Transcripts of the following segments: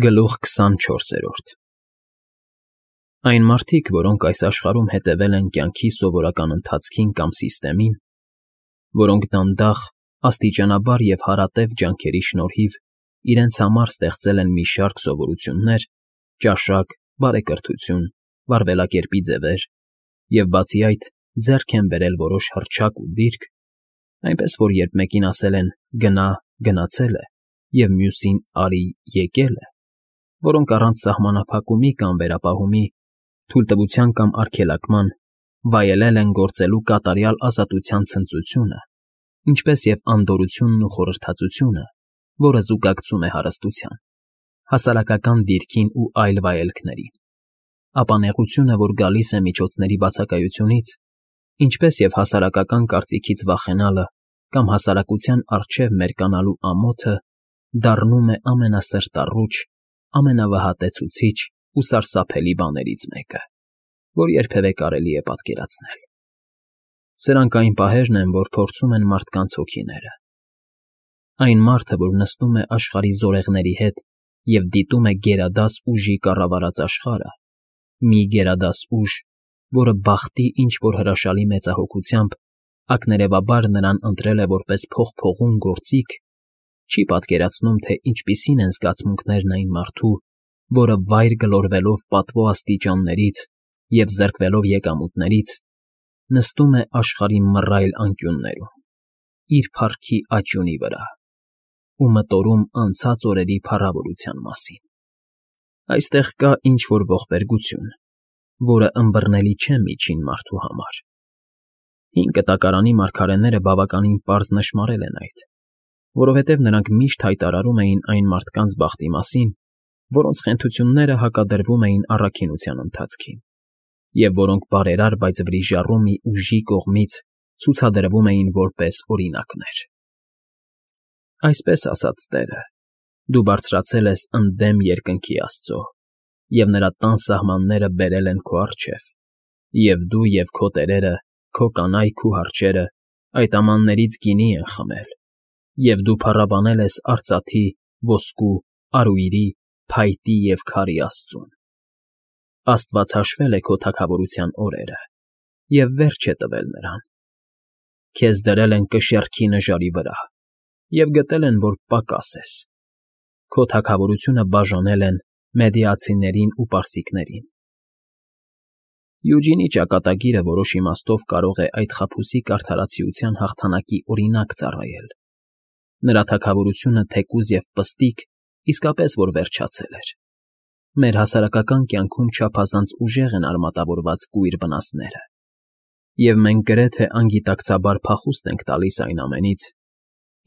Գլուխ 24 Այն մարդիկ, որոնք այս աշխարհում հետևել են կյանքի սովորական ընթացքին կամ սիստեմին, որոնք դանդաղ, աստիճանաբար և հարատև ջանքերի շնորհիվ իրենց համար ստեղծել են մի շարք սովորություններ, ճաշակ, բարեկրթություն, վարվելակերպի ձևեր և, բացի այդ, ձեռք են բերել որոշ հռչակ ու դիրք, այնպես որ երբ մեկին ասել են «գնա», «գնացել է» և մյուսին «արի», «եկել է», որոնք առանց սահմանափակումի կամ վերապահումի, թույլտվության կամ արգելակման վայելել են գործելու կատարյալ ազատության ցնծությունը, ինչպես և անդորրությունն ու խորհրդածությունը, որը զուգակցում է հարստության, հասարակական դիրքին ու այլ վայելքներին, ապա նեղությունը, որ գալիս է միջոցների բացակայությունից, ինչպես և հասարակական կարծիքից վախենալը կամ հասարակության առջև մերկանալու ամոթը դառնում է ամենասրտառուչ, ամենավհատեցուցիչ ու սարսափելի բաներից մեկը, որ երբևէ կարելի է պատկերացնել։ Սրանք այն պահերն են, որ փորձում են մարդկանց հոգիները։ Այն մարդը, որ նստում է աշխարհի զորեղների հետ և դիտում է գերադաս ուժի կառավարած աշխարհը, մի գերադաս ուժ, որը բախտի ինչ֊որ հրաշալի մեծահոգությամբ ակներևաբար նրան ընտրել է որպես փողփողուն գործիք, չի պատկերացնում, թե ինչպիսին են զգացմունքներն այն մարդու, որը վայր գլորվելով պատվո աստիճաններից և զրկվելով եկամուտներից, նստում է աշխարհի մռայլ անկյուններում, իր փառքի աջունի վրա ու մտորում անցած օրերի փառավորության մասին։ Այստեղ կա ինչ֊որ ողբերգություն, որը ըմբռնելի չէ միջին մարդու համար։ Հին Կտակարանի մարգարեները բավականին պարզ նշմարել են այդ, որովհետև նրանք միշտ հայտարարում էին այն մարդկանց բախտի մասին, որոնց խենթությունները հակադրվում էին առաքինության ընթացքին, և որոնք բարերար, բայց վրիժառու մի ուժի կողմից ցուցադրվում էին որպես օրինակներ։ Այսպես ասաց Տերը. «Դու բարձրացել ես ընդդեմ երկնքի Աստծո, և նրա տան սահմանները բերել են քո առջև, և դու և քո տերերը, քո կանայք ու հարչերը այդ ամաններից գինի են խմել, և դու փառաբանել ես արծաթի, ոսկու, արույրի, փայտի և քարի Աստծուն։ Աստված հաշվել է քո թագավորության օրերը և վերջ է տվել նրան։ Քեզ դրել են կշեռքի նժարի վրա և գտել են, որ պակաս ես։ Քո թագավորությունը բաժանել են Մեդիացիներին ու Պարսիքներին»։ Յուջինի ճակատագիրը որոշ իմաստով կարող է այդ խաբուսիկ արդարացիության հաղթանակի օրինակ ծառայել։ Նրա թագավորությունը թեկուզ և պստիկ իսկապես որ վերջացել էր։ Մեր հասարակական կյանքում չափազանց ուժեղ են արմատավորված կույր վնասները, և մենք գրեթե անգիտակցաբար փախուստ ենք տալիս այն ամենից,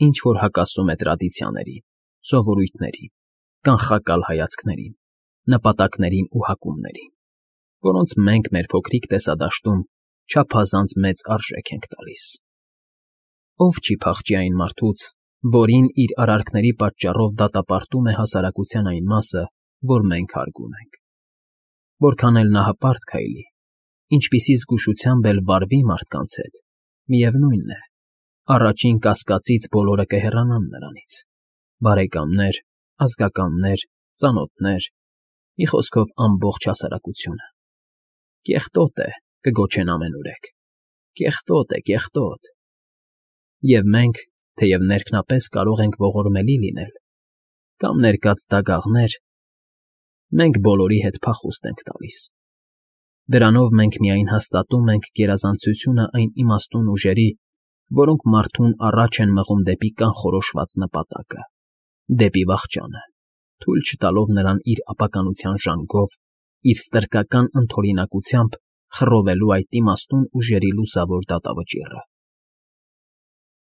ինչ որ հակասում է տրադիցիաներին, սովորույթներին, կանխակալ հայացքներին, նպատակներին ու հակումներին, որոնց մենք մեր փոքրիկ տեսադաշտում չափազանց մեծ արժեք ենք տալիս։ Ով չի փախչի այն մարդուց, որին իր արարքների պատճառով դատապարտում է հասարակության այն մասը, որ մենք հարգում ենք։ Որքան էլ նա հպարտ քայլի, ինչպիսի զգուշությամբ էլ վարվի մարդկանց հետ, միևնույն է, առաջին կասկածից բոլորը կհեռանան նրանից՝ բարեկամներ, ազգականներ, ծանոթներ, մի խոսքով ամբողջ հասարակությունը։ «Կեղտոտ է», կգոչեն ամենուրեք, «Կեղտոտ է, կեղտոտ»։ Եվ մենք, թեև ներքնապես կարող ենք ողորմելի լինել կամ ներկած դագաղներ, մենք բոլորի հետ փախուստ ենք տալիս։ Դրանով մենք միայն հաստատում ենք գերազանցությունը այն իմաստուն ուժերի, որոնք մարդուն առաջ են մղում դեպի կանխորոշված նպատակը, դեպի վախճանը, թույլ չտալով նրան իր ապականության ժանգով, իր ստրկական ընդօրինակությամբ խռովելու այդ իմաստուն ուժերի լուսավոր դատավճիռը։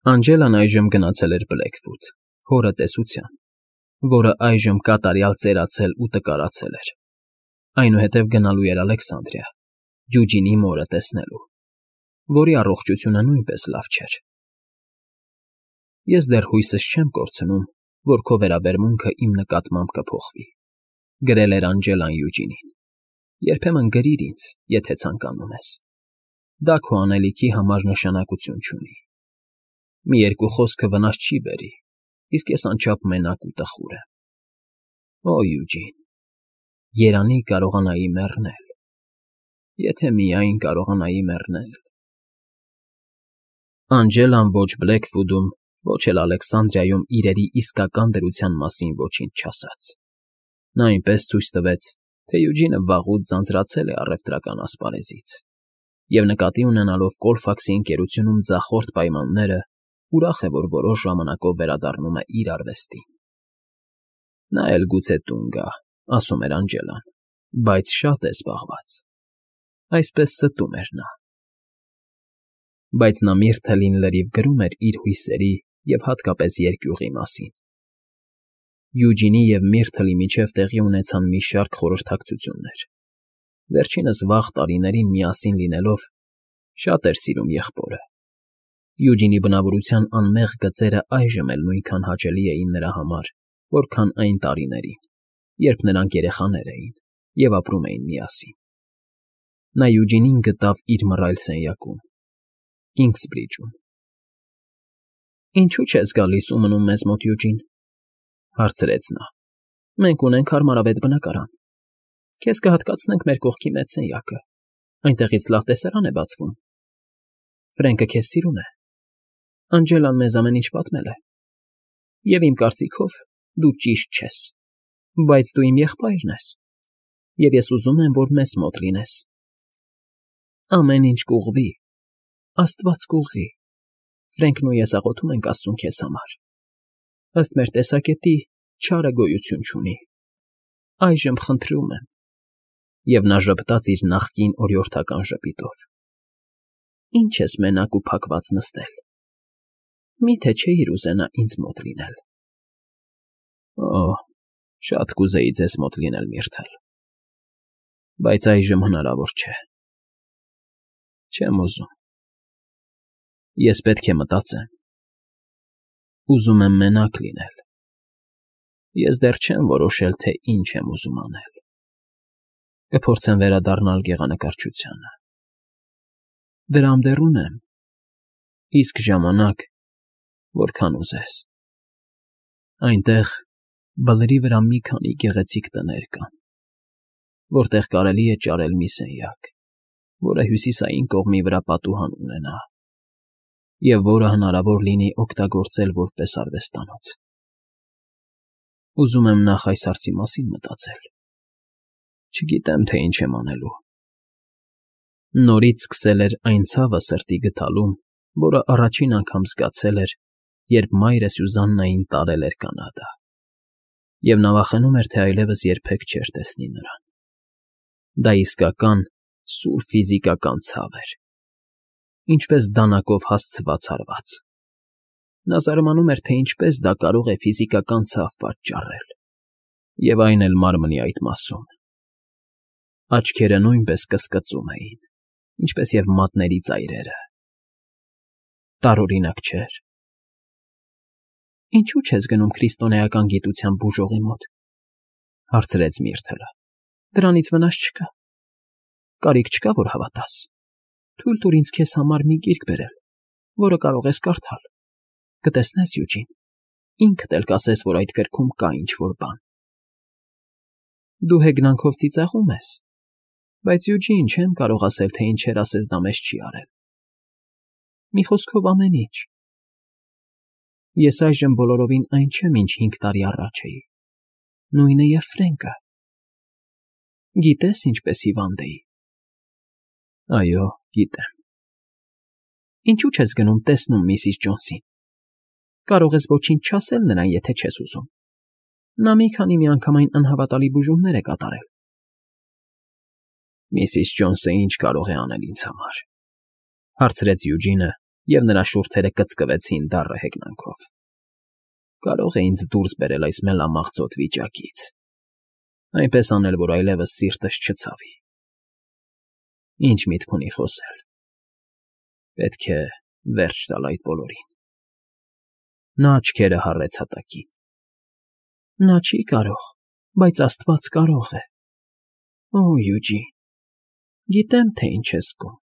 Անջելան այժմ գնացել էր Բլեքվուդ, հորը տեսության, որը այժմ կատարյալ ծերացել ու տկարացել էր, այնուհետև գնալու էր Ալեքսանդրիա, Յուջինի մորը տեսնելու, որի առողջությունը նույնպես լավ չէր։ «Ես դեռ հույսս չեմ կորցնում, որ քո վերաբերմունքը իմ նկատմամբ կփոխվի», գրել էր Անջելան Յուջինին։ «Երբեմն գրիր ինձ, եթե ցանկանում ես։ Դա քո անելիքի համար նշանակություն չունի։ Մի երկու խոսքը վնաս չի բերի, իսկ ես անչափ մենակ ու տխուր եմ։ Օ, Յուջին, երանի կարողանայի մեռնել, եթե միայն կարողանայի մեռնել… Անջելան ոչ Բլեքվուդում, ոչ էլ Ալեքսանդրիայում իրերի իսկական դրության մասին ոչինչ չասաց. նա այնպես ցույց տվեց, թե Յուջինը վաղուց ձանձրացել է առևտրական ասպարեզից, և նկատի ունենալով Կոլֆաքսի ընկերությունում ձախորդ պայմանները, ուրախ է, որ որոշ ժամանակով վերադառնում է իր արվեստին։ Նա էլ գուցե տուն գա, ասում էր Անջելան, բայց շատ է զբաղված, այսպես ստում էր նա։ Բայց նա Միրթելին լրիվ գրում էր իր հույսերի և հատկապես երկյուղի մասին։ Յուջինի և Միրթլի միջև տեղի ունեցան մի շարք խորհրդակցություններ. վերջինս վաղ տարիներին միասին լինելով շատ էր սիրում եղբորը։ Յուջինի բնավորության անմեղ գծերը այժմ էլ նույնքան հաճելի էին նրա համար, որքան այն տարիներին, երբ նրանք երեխաներ էին և ապրում էին միասին։ Նա Յուջինին գտավ իր մռայլ սենյակում, Կինգսբրիջում։ «Ինչու չես գալիս ու մնում մեզ մոտ, Յուջին,֊ հարցրեց նա։ Մենք ունենք հարմարավետ բնակարան։ Քեզ կհատկացնենք մեր կողքի մեծ սենյակը, այնտեղից լավ տեսարան է բացվում։ Ֆրենկը քեզ սիրում է։ Անջելան մեզ ամեն ինչ պատմել է։ Եվ իմ կարծիքով դու ճիշտ չես, բայց դու իմ եղբայրն ես, և ես ուզում եմ, որ մեզ մոտ լինես։ Ամեն ինչ կուղղվի, Աստված կուղղի, Ֆրենկն ու ես աղոթում ենք Աստծուն քեզ համար։ Ըստ մեր տեսակետի, չարը գոյություն չունի։ Այժմ խնդրում եմ…» Եվ նա ժպտաց իր նախկին օրիորդական ժպիտով։ «Ինչ ես մենակ ու փակված նստել… Մի՞թե չէիր ուզենա ինձ մոտ լինել»։ Օ, շատ կուզեի ձեզ մոտ լինել, Միրթլ, բայց այժմ հնարավոր չէ։ Չեմ ուզում։ Ես պետք է մտածեմ։ Ուզում եմ մենակ լինել։ Ես դեռ չեմ որոշել, թե ինչ եմ ուզում անել։ Կփորձեմ վերադառնալ գեղանկարչությանը։ Դրամ դեռ ունեմ, իսկ ժամանակ, որքան ուզես։ Այնտեղ բլրի վրա մի քանի գեղեցիկ տներ կան, որտեղ կարելի է ճարել մի սենյակ, որը հյուսիսային կողմի վրա պատուհան ունենա, և որը հնարավոր լինի օգտագործել որպես արվեստանոց։ Ուզում եմ նախ այս հարցի մասին մտածել։ Չգիտեմ, թե ինչ եմ անելու։ Նորից սկսել էր այն ցավը սրտի գթալում, որը առաջին անգամ զգացել էր, երբ մայրը Սյուզաննային տարել էր Կանադա, և նա վախենում էր, թե այլևս երբեք չէր տեսնի նրան։ Դա իսկական, սուր ֆիզիկական ցավ էր, ինչպես դանակով հասցված հարված։ Նա զարմանում էր, թե ինչպես դա կարող է ֆիզիկական ցավ պատճառել, և այն էլ մարմնի այդ մասում։ Աչքերը նույնպես կսկծում էին, ինչպես և մատների ծայրերը։ Տարօրինակ չէր։ Ինչու՞ չես գնում քրիստոնեական գիտության բուժողի մոտ,֊ հարցրեց Միրթլը։ Դրանից վնաս չկա։ Կարիք չկա, որ հավատաս։ Թույլ տուր ինձ քեզ համար մի գիրք բերել, որը կարող ես կարդալ։ Կտեսնես, Յուջին, ինքդ էլ կասես, որ այդ գրքում կա ինչ֊որ բան։ Դու հեգնանքով ծիծաղում ես, բայց, Յուջին, չեմ կարող ասել, թե ինչեր ասես դա մեզ չի արել։ Մի խոսքով, ամեն ինչ։ Ես այժմ բոլորովին այն չեմ, ինչ 5 տարի առաջ էի։ Նույնը և Ֆրենկը։ Գիտես, ինչպես հիվանդ էի։ Այո, գիտեմ։ Ինչու՞ չես գնում տեսնում միսիս Ջոնսին։ Կարող ես ոչինչ չասել նրան, եթե չես ուզում։ Նա մի քանի միանգամայն անհավատալի բուժումներ է կատարել։ Միսիս Ջոնսը ինչ կարող է անել ինձ համար,֊ հարցրեց Յուջինը, և նրա շուրթերը կծկվեցին դառը հեգնանքով։ Կարող է ինձ դուրս բերել այս մելամաղձոտ վիճակից, այնպես անել, որ այլևս սիրտս չցավի։ Ինչ միտք ունի խոսել։ Պետք է վերջ տալ այդ բոլորին։ Նա աչքերը հառեց հատակին։ Նա չի կարող, բայց Աստված կարող է։ Օ, Յուջին, գիտեմ, թե ինչ ես զգում։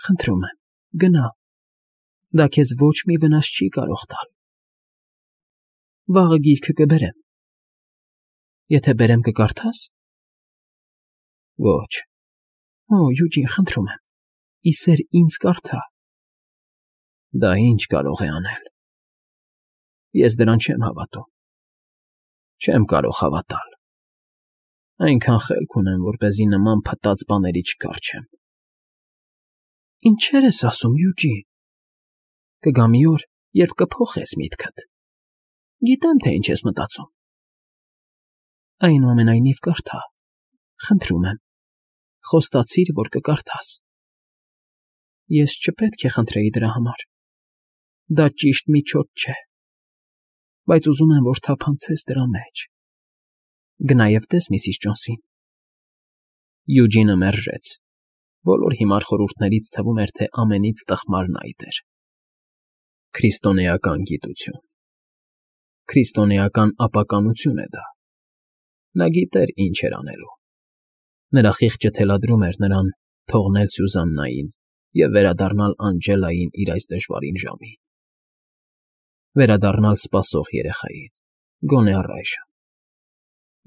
Խնդրում եմ, գնա։ Դա քեզ ոչ մի վնաս չի կարող տալ։ Վաղը գիրքը կբերեմ, Եթե բերեմ կկարդաս։ Ոչ։ Օ, Յուջին, խնդրում եմ։ Իսեր ինձ կարդա։ Դա ինչ կարող է անել։ Ես դրան չեմ հավատում։ Չեմ կարող հավատալ։ Այնքան խելք ունեմ, որպեսզի նման փտած բաների չկառչեմ։ Ինչեր ես ասում, Յուջի։ Կգա մի օր, երբ կփոխես միտքդ։ Գիտեմ, թե ինչ ես մտածում։ Այնուամենայնիվ կարդա։ Խնդրում եմ։ Խոստացիր, որ կկարդաս։ Ես չպետք է խնդրեի դրա համար։ Դա ճիշտ միջոց չէ։ Բայց ուզում եմ, որ թափանցես դրա մեջ։ Գնա և տես Միսիս Ջոնսին։ Յուջինը մերժեց։ Բոլոր հիմար խորհուրդներից թվում էր, թե ամենից տխմարն այդ էր։ Քրիստոնեական գիտություն։ Քրիստոնեական ապականություն է դա։ Նա գիտեր ինչ էր անելու։ Նրա խիղճը թելադրում էր նրան թողնել Սյուզաննային և վերադառնալ Անջելային իր այս դժվարին ժամին։ Վերադառնալ սպասող երեխային, գոնե առայժմ։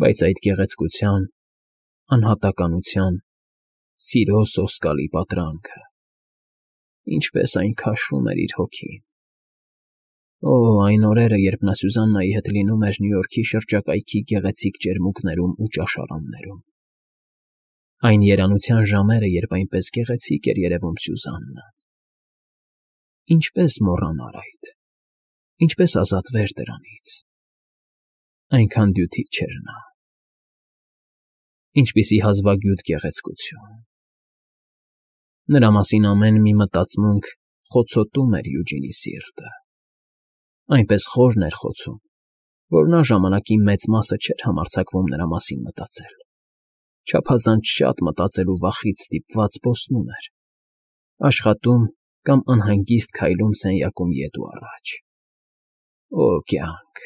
Բայց այդ գեղեցկության, անհատականության, սիրո սոսկալի պատրանքը, ինչպես այն քաշում էր իր հոգին։ Օ, այն օրերը, երբ նա Սյուզաննայի հետ լինում էր Նյու Յորքի շրջակայքի գեղեցիկ ջերմուկներում ու ճաշարաններում։ Այն երանության ժամերը, երբ այնպես գեղեցիկ էր երևում Սյուզաննան։ Ինչպես մոռանալ այդ։ Ինչպես ազատվեր դրանից։ Այնքան դյութիչ էր նա։ Ինչպիսի հազվագյուտ գեղեցկություն։ Նրա մասին ամեն մի մտածմունք խոցոտում էր Յուջինի սիրտը։ Այնպես խորն էր խոցում, որ նա ժամանակի մեծ մասը չէր համարձակվում նրա մասին մտածել։ Չափազանց շատ մտածելու վախից ստիպված պոստնում էր։ Աշխատում կամ անհանգիստ քայլում սենյակում ետ ու առաջ։ Օ կյանք,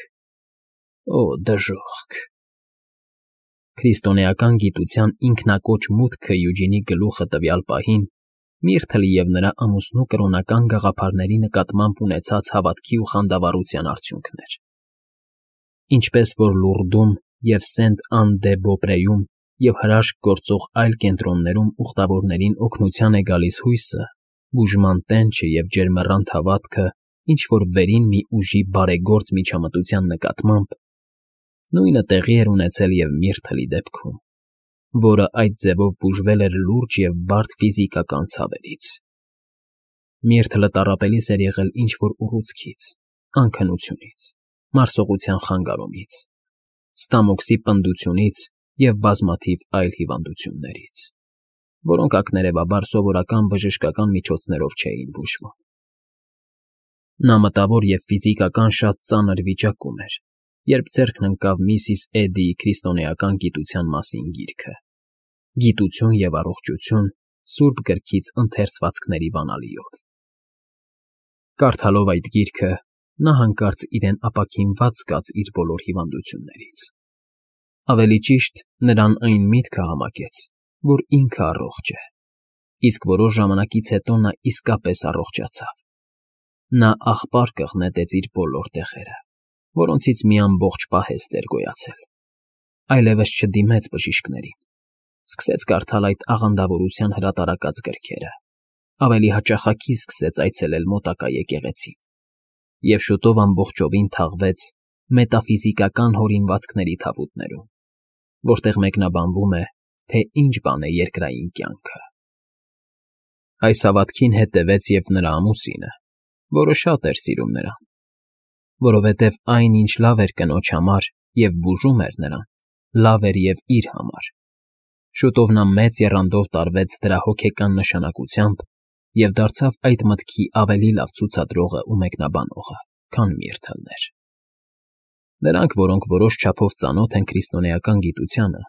օ դժոխք։ Քրիստոնեական գիտության ինքնակոչ մուտքը Յուջինի գլուխը տվյալ պահին Միրթլի և նրա ամուսնու կրոնական գաղափարների նկատմամբ ունեցած հավատքի ու խանդավառության արդյունքն էր։ Ինչպես որ Լուրդում և Սենտ֊Ան֊դե֊Բոպրեում և հրաշք գործող այլ կենտրոններում ուխտավորներին օգնության է գալիս հույսը, բուժման տենչը և ջերմեռանդ հավատքը ինչ-որ վերին մի ուժի բարեգործ միջամտության նկատմամբ, նույնը տեղի էր ունեցել և Միրթլի դեպքում, որը այդ ձևով բուժվել էր լուրջ և բարդ ֆիզիկական ցավերից։ Միրթլը տառապելիս էր եղել ինչ-որ ուռուցքից, անքնությունից, մարսողության խանգարումից, ստամոքսի պնդությունից և բազմաթիվ այլ հիվանդություններից, որոնք ակներևաբար սովորական բժշկական միջոցներով չէին բուժվում։ Նա մտավոր և ֆիզիկական շատ ծանր վիճակում էր, երբ ձեռքն ընկավ միսիս Էդդիի քրիստոնեական գիտության մասին գիրքը. «Գիտություն և առողջություն» Սուրբ գրքից ընթերցվածքների բանալիով։ Կարդալով այդ գիրքը, նա հանկարծ իրեն ապաքինված զգաց իր բոլոր հիվանդություններից։ Ավելի ճիշտ, նրան այն միտքը համակեց, որ ինքը առողջ է, իսկ որոշ ժամանակից հետո նա իսկապես առողջացավ։ Նա աղբար կղնեցեց իր բոլոր տեղերը, որոնցից մի ամբողջ պահեստ էր գոյացել։ Այլևս չդիմեց բժիշկներին։ Սկսեց կարդալ այդ աղանդավորության հրատարակած գրքերը, ավելի հաճախակի սկսեց այցելել մոտակա եկեղեցին և շուտով ամբողջովին թաղվեց մետաֆիզիկական հորինվածքների թավուտներում, որտեղ մեկնաբանվում է, թե ինչ բան է երկրային կյանքը։ Այս հավատքին հետևեց և նրա ամուսինը, որը շատ էր սիրում նրան, որովհետև այն, ինչ լավ էր կնոջ համար և բուժում էր նրան, լավ էր և իր համար։ Շուտով նա մեծ եռանդով տարվեց դրա հոգեկան նշանակությամբ և դարձավ այդ մտքի ավելի լավ ցուցադրողը ու մեկնաբանողը, քան Միրթլն էր։ Նրանք, որոնք որոշ չափով ծանոթ են քրիստոնեական գիտությանը,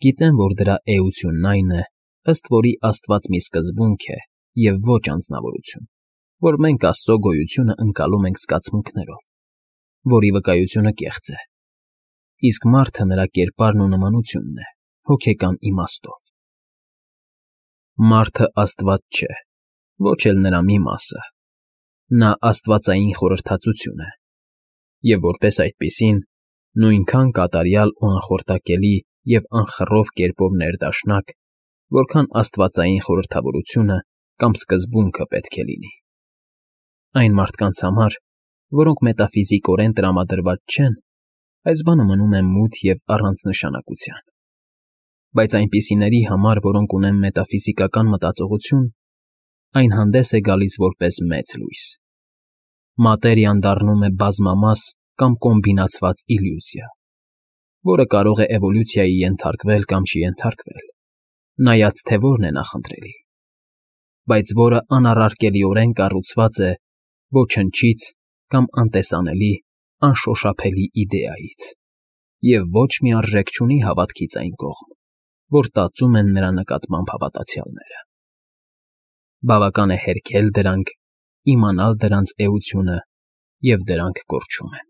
գիտեն, որ դրա էությունն այն է, ըստ որի Աստված մի սկզբունք է և ոչ անձնավորություն, որ մենք Աստծո գոյությունը ընկալում ենք զգացմունքներով, որի վկայությունը կեղծ է, իսկ մարդը նրա կերպարն ու նմանությունն է, հոգեկան իմաստով։ Մարդը Աստված չէ, ոչ էլ նրա մի մասը, նա աստվածային խորհրդածություն է, և որպես այդպիսին, Նույնքան կատարյալ ու անխորտակելի և անխռով կերպով ներդաշնակ, որքան աստվածային խորհրդավորությունը կամ սկզբունքը պետք է լինի։ Այն մարդկանց համար, որոնք մետաֆիզիկորեն տրամադրված չեն, այս բանը մնում է մութ և առանց նշանակության։ Բայց այնպիսիների համար, որոնք ունեն մետաֆիզիկական մտածողություն, այն հանդես է գալիս որպես մեծ լույս։ Մատերիան դառնում է բազմամաս կամ կոմբինացված իլյուզիա, որը կարող է էվոլյուցիայի ենթարկվել կամ չենթարկվել, նայած թե որն է նախընտրելի, բայց որը անառարկելիորեն կառուցված է ոչնչից կամ անտեսանելի, անշոշափելի իդեայից, և ոչ մի արժեք չունի հավատքից այն կողմ, որ տածում են նրա նկատմամբ հավատացյալները։ Բավական է հերքել դրանք, իմանալ դրանց էությունը, և դրանք կորչում են։